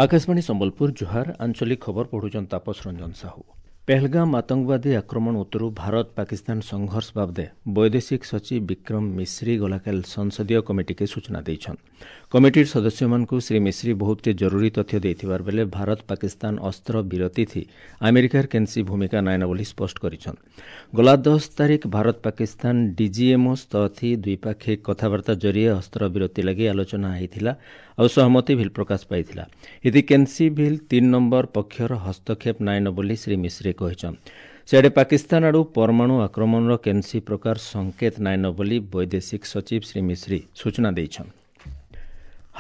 ଆକାଶବାଣୀ ସମ୍ବଲପୁର, ଜୁହାର। ଆଞ୍ଚଳିକ ଖବର ପଢୁଛନ୍ ତାପସ ରଞ୍ଜନ ସାହୁ। ପେହଲଗାମ ଆତଙ୍କବାଦୀ ଆକ୍ରମଣ ଉତ୍ତରୁ ଭାରତ ପାକିସ୍ତାନ ସଂଘର୍ଷ ବାବଦେ ବୈଦେଶିକ ସଚିବ ବିକ୍ରମ ମିଶ୍ରି ଗଲାକାଲି ସଂସଦୀୟ କମିଟିକେ ସୂଚନା ଦେଇଛନ୍। କମିଟିର ସଦସ୍ୟମାନଙ୍କୁ ଶ୍ରୀ ମିଶ୍ରି ବହୁତଟେ ଜରୁରୀ ତଥ୍ୟ ଦେଇଥିବାର ବେଲେ ଭାରତ ପାକିସ୍ତାନ ଅସ୍ତ୍ର ବିରତି ଥି ଆମେରିକାର କେନ୍ସି ଭୂମିକା ନାଇନ ବୋଲି ସ୍ପଷ୍ଟ କରିଛନ୍। ଗଲା 10 ତାରିଖ ଭାରତ ପାକିସ୍ତାନ ଡିଜିଏମ୍ଓ ସ୍ତର ଦ୍ୱିପାକ୍ଷିକ କଥାବାର୍ତ୍ତା ଜରିଏ ଅସ୍ତ୍ର ବିରତି ଲାଗି ଆଲୋଚନା ହେଇଥିଲା ଆଉ ସହମତି ଭିଲ୍ ପ୍ରକାଶ ପାଇଥିଲା। ଏଥି କେନ୍ସି ଭିଲ୍ 3 ନମ୍ବର ପକ୍ଷର ହସ୍ତକ୍ଷେପ ନାଇନ ବୋଲି ଶ୍ରୀ ମିଶ୍ରି କହିଛନ୍। ସିଆଡ଼େ ପାକିସ୍ତାନ ଆଡ଼ୁ ପରମାଣୁ ଆକ୍ରମଣର କେନ୍ସି ପ୍ରକାର ସଂକେତ ନାଇନ ବୋଲି ବୈଦେଶିକ ସଚିବ ଶ୍ରୀ ମିଶ୍ରି ସୂଚନା ଦେଇଛନ୍।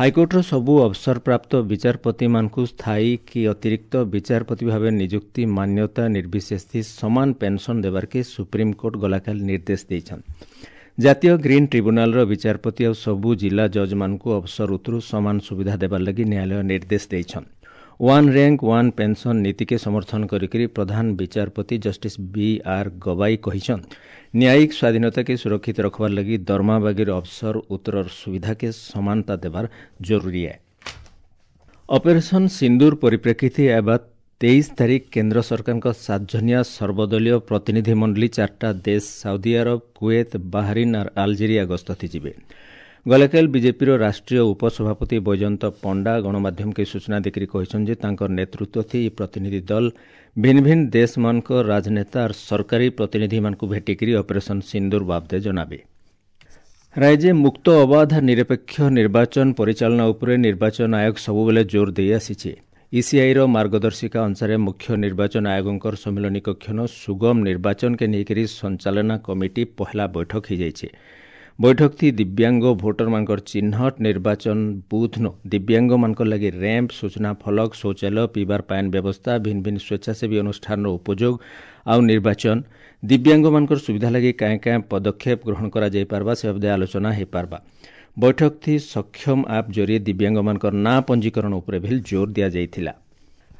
ହାଇକୋର୍ଟର ସବୁ ଅବସରପ୍ରାପ୍ତ ବିଚାରପତିମାନଙ୍କୁ ସ୍ଥାୟୀ କି ଅତିରିକ୍ତ ବିଚାରପତି ଭାବେ ନିଯୁକ୍ତି ମାନ୍ୟତା ନିର୍ବିଶେଷ ସମାନ ପେନ୍ସନ୍ ଦେବାର୍କେ ସୁପ୍ରିମକୋର୍ଟ ଗଲାକାଲି ନିର୍ଦ୍ଦେଶ ଦେଇଛନ୍। ଜାତୀୟ ଗ୍ରୀନ୍ ଟ୍ରିବ୍ୟୁନାଲର ବିଚାରପତି ଆଉ ସବୁ ଜିଲ୍ଲା ଜଜ୍ମାନଙ୍କୁ ଅବସର ଉତ୍ତରୁ ସମାନ ସୁବିଧା ଦେବାର ଲାଗି ନ୍ୟାୟାଳୟ ନିର୍ଦ୍ଦେଶ ଦେଇଛନ୍। ୱାନ୍ ର୍ୟାଙ୍କ ୱାନ୍ ପେନ୍ସନ୍ ନୀତିକେ ସମର୍ଥନ କରିକରି ପ୍ରଧାନ ବିଚାରପତି ଜଷ୍ଟିସ୍ ବି ଆର୍ ଗବାଇ କହିଛନ୍, ନ୍ୟାୟିକ ସ୍ୱାଧୀନତାକେ ସୁରକ୍ଷିତ ରଖବାର ଲାଗି ଦରମା ବାଗିର ଅବସର ଉତ୍ତରର ସୁବିଧାକେ ସମାନତା ଦେବାର ଜରୁରୀ ଏ। ଅପରେସନ୍ ସିନ୍ଦୁର ପରିପ୍ରେକ୍ଷୀରେ ଏବା 23 ତାରିଖ କେନ୍ଦ୍ର ସରକାରଙ୍କ 7 ଜନିଆ ସର୍ବଦଳୀୟ ପ୍ରତିନିଧି ମଣ୍ଡଳୀ 4ଟା ଦେଶ ସାଉଦି ଆରବ, କୁଏତ, ବାହାରିନ୍ ଆର୍ ଆଲଜେରିଆ ଗସ୍ତ ଯିବେ। ଗଲାକାଲି ବିଜେପିର ରାଷ୍ଟ୍ରୀୟ ଉପସଭାପତି ବୈଜୟନ୍ତ ପଣ୍ଡା ଗଣମାଧ୍ୟମକେ ସୂଚନା ଦେଇକରି କହିଛନ୍ତି ଯେ ତାଙ୍କର ନେତୃତ୍ୱ ଥି ଏହି ପ୍ରତିନିଧି ଦଳ ଭିନ୍ନ ଭିନ୍ନ ଦେଶମାନଙ୍କ ରାଜନେତା ଆର୍ ସରକାରୀ ପ୍ରତିନିଧିମାନଙ୍କୁ ଭେଟିକରି ଅପରେସନ୍ ସିନ୍ଦୁର ବାବଦେ ଜଣାବେ। ରାଜ୍ୟ ମୁକ୍ତ, ଅବାଧ, ନିରପେକ୍ଷ ନିର୍ବାଚନ ପରିଚାଳନା ଉପରେ ନିର୍ବାଚନ ଆୟୋଗ ସବୁବେଳେ ଜୋର ଦେଇ ଆସିଛି। ଇସିଆଇର ମାର୍ଗଦର୍ଶିକା ଅନୁସାରେ ମୁଖ୍ୟ ନିର୍ବାଚନ ଆୟୋଗଙ୍କର ସମ୍ମିଳନୀ କକ୍ଷନ ସୁଗମ ନିର୍ବାଚନକେ ନେଇକରି ସଞ୍ଚାଳନା କମିଟି ପହଲା ବୈଠକ ହୋଇଯାଇଛି। ବୈଠକ ଥି ଦିବ୍ୟାଙ୍ଗ ଭୋଟରମାନଙ୍କର ଚିହ୍ନଟ, ନିର୍ବାଚନ ବୁଥ୍ନ ଦିବ୍ୟାଙ୍ଗମାନଙ୍କର ଲାଗି ର୍ୟାମ୍ପ, ସୂଚନା ଫଳକ, ଶୌଚାଳୟ, ପିଇବାର ପାଏନ୍ ବ୍ୟବସ୍ଥା, ଭିନ୍ନ ଭିନ୍ନ ସ୍ୱେଚ୍ଛାସେବୀ ଅନୁଷ୍ଠାନର ଉପଯୋଗ ଆଉ ନିର୍ବାଚନ ଦିବ୍ୟାଙ୍ଗମାନଙ୍କର ସୁବିଧା ଲାଗି କାଏଁ କାଏଁ ପଦକ୍ଷେପ ଗ୍ରହଣ କରାଯାଇପାରବା ସେ ବାବଦେ ଆଲୋଚନା ହୋଇପାରବା। ବୈଠକ ଥି ସକ୍ଷମ ଆପ୍ ଜରିଏ ଦିବ୍ୟାଙ୍ଗମାନଙ୍କର ନାଁ ପଞ୍ଜୀକରଣ ଉପରେ ଭିଲ୍ ଜୋର ଦିଆଯାଇଥିଲା।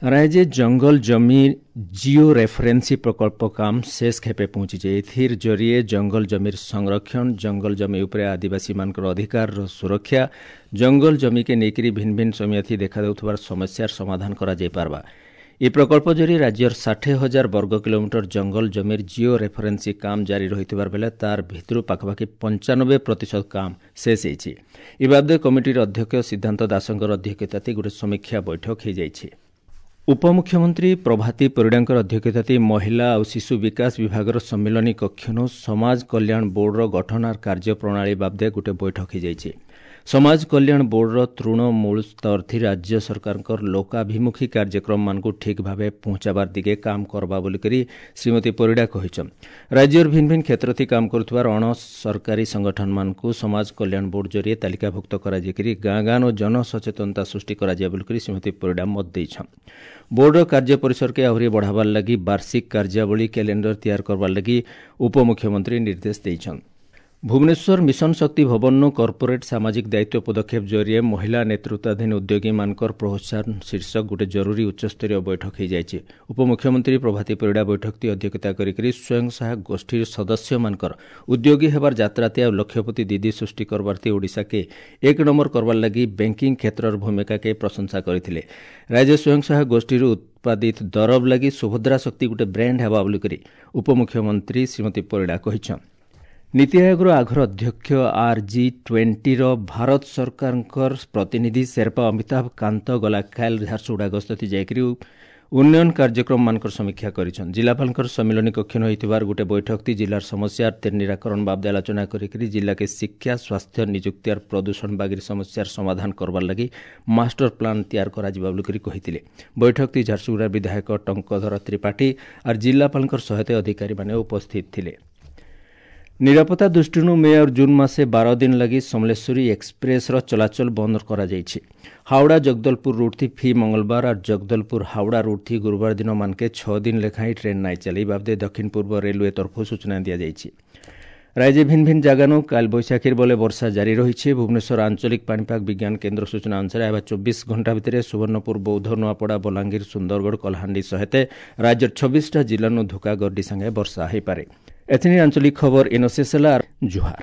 ରାଜ୍ୟ ଜଙ୍ଗଲ ଜମି ଜିଓ ରେଫରେନ୍ସି ପ୍ରକଳ୍ପ କାମ ଶେଷ ଖେପେ ପହଞ୍ଚିছে। ଏଥିର ଜରିଏ ଜଙ୍ଗଲ ଜମିର ସଂରକ୍ଷଣ, ଜଙ୍ଗଲ ଜମି ଉପରେ ଆଦିବାସୀମାନଙ୍କର ଅଧିକାରର ସୁରକ୍ଷା, ଜଙ୍ଗଲ ଜମିକେ ନେଇକରି ଭିନ୍ନ ଭିନ୍ନ ସମୟଥି ଦେଖାଦେଉଥିବାର ସମସ୍ୟାର ସମାଧାନ କରାଯାଇପାରବା। ଏହି ପ୍ରକଳ୍ପ ଜରିଏ ରାଜ୍ୟର 60,000 ବର୍ଗ କିଲୋମିଟର ଜଙ୍ଗଲ ଜମିର ଜିଓ ରେଫରେନ୍ସି କାମ ଜାରି ରହିଥିବାର ବେଲେ ତାର ଭିତରୁ ପାଖାପାଖି 95% କାମ ଶେଷ ହେଇଛି। ଏ ବାବଦେ କମିଟିର ଅଧ୍ୟକ୍ଷ ସିଦ୍ଧାନ୍ତ ଦାସଙ୍କର ଅଧ୍ୟକ୍ଷତାରେ ଗୋଟେ ସମୀକ୍ଷା ବୈଠକ ହୋଇଯାଇଛି। ଉପମୁଖ୍ୟମନ୍ତ୍ରୀ ପ୍ରଭାତୀ ପରିଡ଼ାଙ୍କର ଅଧ୍ୟକ୍ଷତାରେ ମହିଳା ଆଉ ଶିଶୁ ବିକାଶ ବିଭାଗର ସମ୍ମିଳନୀ କକ୍ଷନୁ ସମାଜ କଲ୍ୟାଣ ବୋର୍ଡର ଗଠନ ଆର୍ କାର୍ଯ୍ୟପ୍ରଣାଳୀ ବାବଦେ ଗୋଟେ ବୈଠକ ହୋଇଯାଇଛି। ସମାଜ କଲ୍ୟାଣ ବୋର୍ଡର ତୃଣମୂଳ ସ୍ତରଥି ରାଜ୍ୟ ସରକାରଙ୍କର ଲୋକାଭିମୁଖୀ କାର୍ଯ୍ୟକ୍ରମମାନଙ୍କୁ ଠିକ୍ ଭାବେ ପହଞ୍ଚାବାର ଦିଗେ କାମ କରବା ବୋଲିକରି ଶ୍ରୀମତୀ ପରିଡ଼ା କହିଛନ୍। ରାଜ୍ୟର ଭିନ୍ନ ଭିନ୍ନ କ୍ଷେତ୍ରଥି କାମ କରୁଥିବାର ଅଣ ସରକାରୀ ସଂଗଠନମାନଙ୍କୁ ସମାଜ କଲ୍ୟାଣ ବୋର୍ଡ ଜରିଏ ତାଲିକାଭୁକ୍ତ କରାଯାଇକରି ଗାଁ ଗାଁ ଓ ଜନସଚେତନତା ସୃଷ୍ଟି କରାଯିବ ବୋଲିକରି ଶ୍ରୀମତୀ ପରିଡ଼ା ମତ ଦେଇଛନ୍। ବୋର୍ଡର କାର୍ଯ୍ୟ ପରିସରକେ ଆହୁରି ବଢ଼ାବାର ଲାଗି ବାର୍ଷିକ କାର୍ଯ୍ୟାବଳୀ କ୍ୟାଲେଣ୍ଡର ତିଆରି କରବାର ଲାଗି ଉପମୁଖ୍ୟମନ୍ତ୍ରୀ ନିର୍ଦ୍ଦେଶ ଦେଇଛନ୍। ଭୁବନେଶ୍ୱର ମିଶନ ଶକ୍ତି ଭବନରୁ କର୍ପୋରେଟ୍ ସାମାଜିକ ଦାୟିତ୍ୱ ପଦକ୍ଷେପ ଜରିଏ ମହିଳା ନେତୃତ୍ୱାଧୀନ ଉଦ୍ୟୋଗୀମାନଙ୍କର ପ୍ରୋତ୍ସାହନ ଶୀର୍ଷକ ଗୋଟେ ଜରୁରୀ ଉଚ୍ଚସ୍ତରୀୟ ବୈଠକ ହୋଇଯାଇଛି। ଉପମୁଖ୍ୟମନ୍ତ୍ରୀ ପ୍ରଭାତୀ ପରିଡ଼ା ବୈଠକଟି ଅଧ୍ୟକ୍ଷତା କରିକରି ସ୍ୱୟଂ ସହାୟକ ଗୋଷ୍ଠୀର ସଦସ୍ୟମାନଙ୍କର ଉଦ୍ୟୋଗୀ ହେବାର ଯାତ୍ରାତେ ଆଉ ଲକ୍ଷପତି ଦିଦି ସୃଷ୍ଟି କରବାର୍ଥି ଓଡ଼ିଶାକେ 1 ନମ୍ବର କରବାର ଲାଗି ବ୍ୟାଙ୍କିଂ କ୍ଷେତ୍ରର ଭୂମିକାକେ ପ୍ରଶଂସା କରିଥିଲେ। ରାଜ୍ୟ ସ୍ୱୟଂ ସହାୟକ ଗୋଷ୍ଠୀରୁ ଉତ୍ପାଦିତ ଦରବ ଲାଗି ସୁଭଦ୍ରା ଶକ୍ତି ଗୋଟେ ବ୍ରାଣ୍ଡ ହେବା ବୋଲିକରି ଉପମୁଖ୍ୟମନ୍ତ୍ରୀ ଶ୍ରୀମତୀ ପରିଡ଼ା କହିଛନ୍। ନୀତି ଆୟୋଗର ଆଘର ଅଧ୍ୟକ୍ଷ ଆର୍ ଜି 20ର ଭାରତ ସରକାରଙ୍କର ପ୍ରତିନିଧି ସେର୍ପା ଅମିତାଭ କାନ୍ତ ଗଲାକାଲି ଝାରସୁଗୁଡ଼ା ଗସ୍ତ ଯାଇକରି ଉନ୍ନୟନ କାର୍ଯ୍ୟକ୍ରମମାନଙ୍କର ସମୀକ୍ଷା କରିଛନ୍। ଜିଲ୍ଲାପାଳଙ୍କର ସମ୍ମିଳନୀ କକ୍ଷନ ହୋଇଥିବାର ଗୋଟେ ବୈଠକଟି ଜିଲ୍ଲାର ସମସ୍ୟାର ନିରାକରଣ ବାବଦେ ଆଲୋଚନା କରିକରି ଜିଲ୍ଲାକେ ଶିକ୍ଷା, ସ୍ୱାସ୍ଥ୍ୟ, ନିଯୁକ୍ତି ଆର୍ ପ୍ରଦୂଷଣ ବାଗିର ସମସ୍ୟାର ସମାଧାନ କରବାର ଲାଗି ମାଷ୍ଟର ପ୍ଲାନ୍ ତିଆରି କରାଯିବା ବୋଲିକରି କହିଥିଲେ। ବୈଠକଟି ଝାରସୁଗୁଡ଼ା ବିଧାୟକ ଟଙ୍କଧର ତ୍ରିପାଠୀ ଆର୍ ଜିଲ୍ଲାପାଳଙ୍କର ସହାୟତା ଅଧିକାରୀମାନେ ଉପସ୍ଥିତ ଥିଲେ। ନିରାପତ୍ତା ଦୃଷ୍ଟିରୁ ମେ ଆଉ ଜୁନ୍ ମାସେ 12 ଦିନ ଲାଗି ସମଲେଶ୍ୱରୀ ଏକ୍ସପ୍ରେସ୍ର ଚଳାଚଳ ବନ୍ଦ କରାଯାଇଛି। ହାୱଡ଼ା ଜଗଦଲପୁର ରୁଟ୍ ଥି ଫି ମଙ୍ଗଳବାର ଆର୍ ଜଗଦଲପୁର ହାୱଡ଼ା ରୁଟ୍ ଥି ଗୁରୁବାର ଦିନ ମାନକେ 6 ଦିନ ଲେଖାଏଁ ଟ୍ରେନ୍ ନାଇଁ ଚାଲେ। ବାବଦେ ଦକ୍ଷିଣ ପୂର୍ବ ରେଲୱେ ତରଫରୁ ସୂଚନା ଦିଆଯାଇଛି। ରାଜ୍ୟ ଭିନ୍ନ ଭିନ୍ନ ଜାଗାନୁ କାଲ ବୈଶାଖୀର ବଲେ ବର୍ଷା ଜାରି ରହିଛି। ଭୁବନେଶ୍ୱର ଆଞ୍ଚଳିକ ପାଣିପାଗ ବିଜ୍ଞାନ କେନ୍ଦ୍ର ସୂଚନା ଅନୁସାରେ ଆଇବା 24 ଘଣ୍ଟା ଭିତରେ ସୁବର୍ଣ୍ଣପୁର, ବୌଦ୍ଧ, ନୂଆପଡ଼ା, ବଲାଙ୍ଗୀର, ସୁନ୍ଦରଗଡ଼, କଳାହାଣ୍ଡି ସହିତ ରାଜ୍ୟର 26ଟା ଜିଲ୍ଲାନୁ ଧୁକା ଗର୍ଡି ସାଙ୍ଗେ ବର୍ଷା ହୋଇପାରେ। ଏଥିନି ଆଞ୍ଚଳିକ ଖବର ଇନ ଶେଷ ହେଲା। ଜୁହାର।